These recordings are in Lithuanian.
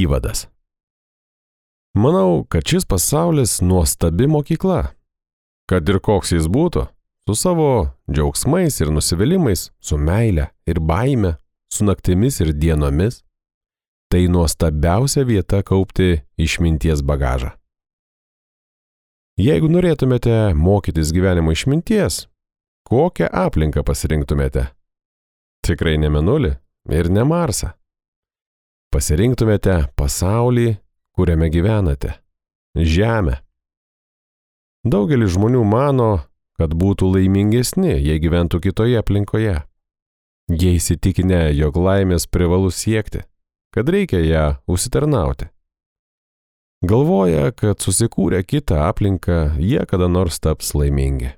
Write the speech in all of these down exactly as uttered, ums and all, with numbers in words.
Įvadas. Manau, kad šis pasaulis nuostabi mokykla. Kad ir koks jis būtų, su savo džiaugsmais ir nusivylimais, su meile ir baime, su naktimis ir dienomis, tai nuostabiausia vieta kaupti išminties bagažą. Jeigu norėtumėte mokytis gyvenimo išminties, kokią aplinką pasirinktumėte? Tikrai ne Mėnulį ir ne Marsą. Pasirinktumėte pasaulį, kuriame gyvenate, Žemę. Daugelis žmonių mano, kad būtų laimingesni, jei gyventų kitoje aplinkoje. Jie įsitikinę, jog laimės privalu siekti, kad reikia ją užsitarnauti. Galvoja, kad susikūrę kitą aplinką, jie kada nors taps laimingi.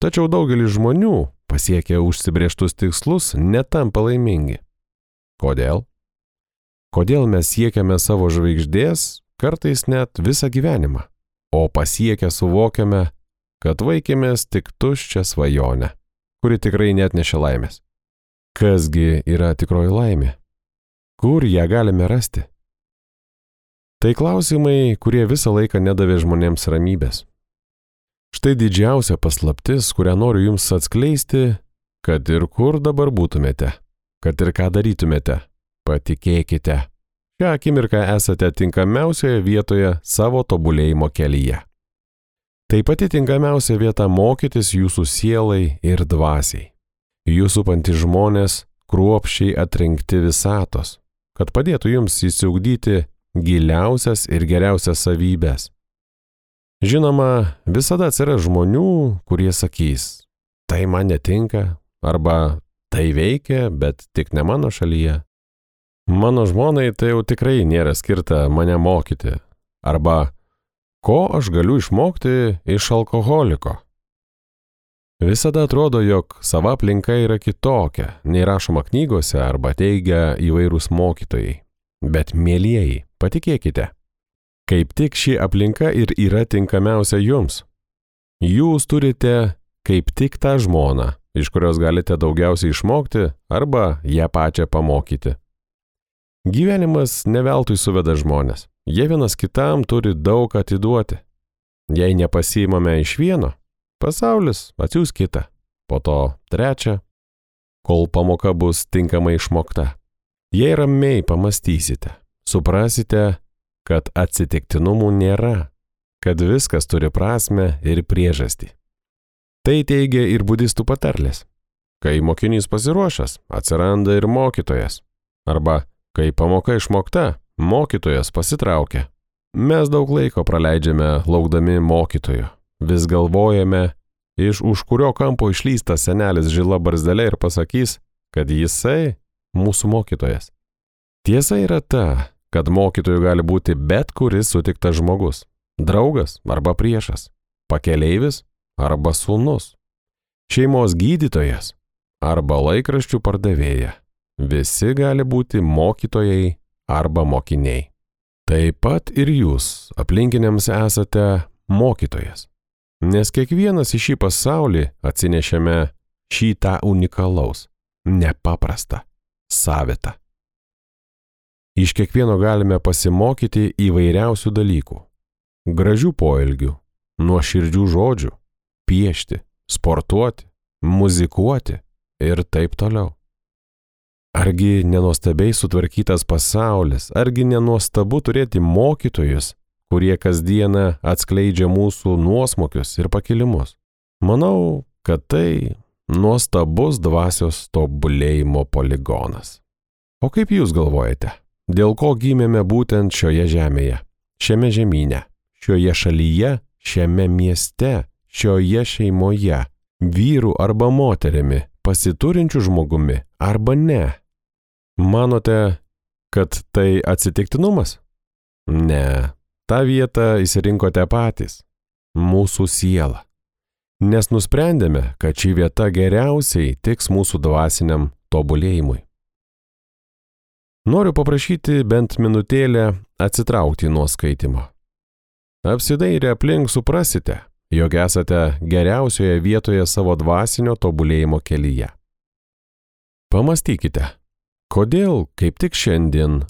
Tačiau daugelis žmonių, pasiekę užsibrėžtus tikslus, netampa laimingi. Kodėl? Kodėl mes siekiame savo žvaigždės, kartais net visą gyvenimą, o pasiekę suvokiame, kad vaikėmės tik tuščią svajonę, kuri tikrai net nešia laimės. Kasgi yra tikroji laimė? Kur ją galime rasti? Tai klausimai, kurie visą laiką nedavė žmonėms ramybės. Štai didžiausia paslaptis, kurią noriu jums atskleisti, kad ir kur dabar būtumėte, kad ir ką darytumėte, patikėkite, šią akimirką esate tinkamiausioje vietoje savo tobulėjimo kelyje. Tai pati tinkamiausia vieta mokytis jūsų sielai ir dvasiai. Jūs supantys žmonės kruopščiai atrinkti visatos, kad padėtų jums įsiugdyti giliausias ir geriausias savybės. Žinoma, visada atsiras žmonių, kurie sakys, tai man netinka, arba tai veikia, bet tik ne mano šalyje. Mano žmonai tai jau tikrai nėra skirta mane mokyti, arba ko aš galiu išmokti iš alkoholiko. Visada atrodo, jog sava aplinka yra kitokia, nei rašoma knygose arba teigia įvairūs mokytojai. Bet mielieji, patikėkite, kaip tik ši aplinka ir yra tinkamiausia jums. Jūs turite kaip tik tą žmoną, iš kurios galite daugiausiai išmokti arba ją pačią pamokyti. Gyvenimas neveltui suveda žmonės. Jie vienas kitam turi daug atiduoti. Jei nepasiimame iš vieno, pasaulis atsiųs kitą, po to trečią, kol pamoka bus tinkamai išmokta. Jei ramiai pamastysite, suprasite, kad atsitiktinumų nėra, kad viskas turi prasmę ir priežastį. Tai teigia ir budistų patarlės. Kai mokinys pasiruošęs, atsiranda ir mokytojas. Arba, kai pamoka išmokta, mokytojas pasitraukia. Mes daug laiko praleidžiame laukdami mokytojo. Vis galvojame, iš už kurio kampo išlystas senelis žila barzdelė ir pasakys, kad jisai mūsų mokytojas. Tiesa yra ta, kad mokytoju gali būti bet kuris sutiktas žmogus, draugas arba priešas, pakeleivis arba sūnus, šeimos gydytojas arba laikraščių pardavėja. Visi gali būti mokytojai arba mokiniai. Taip pat ir jūs aplinkiniams esate mokytojas, nes kiekvienas į šį pasaulį atsinešėme šį tą unikalaus, nepaprastą, savitą. Iš kiekvieno galime pasimokyti įvairiausių dalykų, gražių poelgių, nuoširdžių žodžių, piešti, sportuoti, muzikuoti ir taip toliau. Argi nenuostabiai sutvarkytas pasaulis, argi nenuostabu turėti mokytojus, kurie kasdieną atskleidžia mūsų nuosmukius ir pakilimus. Manau, kad tai nuostabus dvasios tobulėjimo poligonas. O kaip jūs galvojate, dėl ko gimėme būtent šioje žemėje, šiame žemyne, šioje šalyje, šiame mieste, šioje šeimoje, vyru arba moterimi, pasiturinčiu žmogumi arba ne? Manote, kad tai atsitiktinumas? Ne, tą vietą įsirinkote patys, mūsų siela, nes nusprendėme, kad ši vieta geriausiai tiks mūsų dvasiniam tobulėjimui. Noriu paprašyti bent minutėlę atsitraukti nuo skaitimo. Apsidairę aplink suprasite, jog esate geriausioje vietoje savo dvasinio tobulėjimo kelyje. Pamastykite, kodėl kaip tik šiandien